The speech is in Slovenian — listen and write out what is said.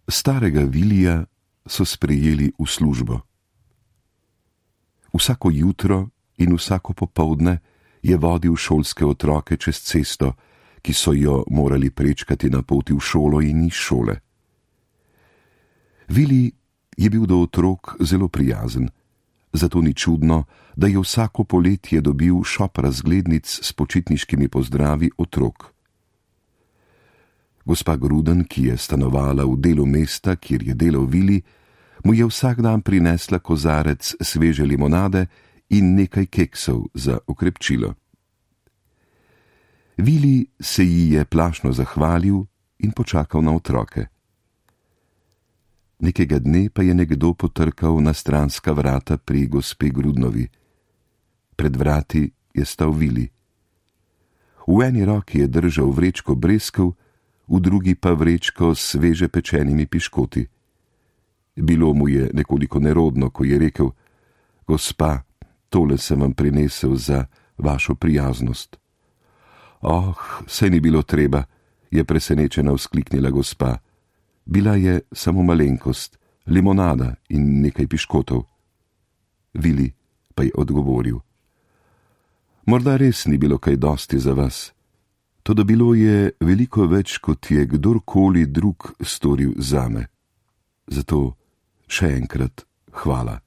Starega Vilija so sprejeli v službo. Vsako jutro in vsako popoldne je vodil šolske otroke čez cesto, ki so jo morali prečkati na poti v šolo in iz šole. Vili je bil do otrok zelo prijazen, zato ni čudno, da je vsako poletje dobil šop razglednic s počitniškimi pozdravi otrok. Gospa Gruden, ki je stanovala v delu mesta, kjer je delal Vili, mu je vsak dan prinesla kozarec sveže limonade in nekaj keksov za okrepčilo. Vili se ji je plašno zahvalil in počakal na otroke. Nekega dne pa je nekdo potrkal na stranska vrata pri gospe Grudnovi. Pred vrati je stal Vili. V eni roki je držal vrečko breskev, v drugi pa vrečko s sveže pečenimi piškoti. Bilo mu je nekoliko nerodno, ko je rekel: Gospa, tole sem vam prinesel za vašo prijaznost. Oh, saj ni bilo treba, je presenečena vzkliknila gospa. Bila je samo malenkost, limonada in nekaj piškotov. Vili pa je odgovoril: Morda res ni bilo kaj dosti za vas, toda bilo je veliko več, kot je kdorkoli drug storil zame. Zato še enkrat hvala.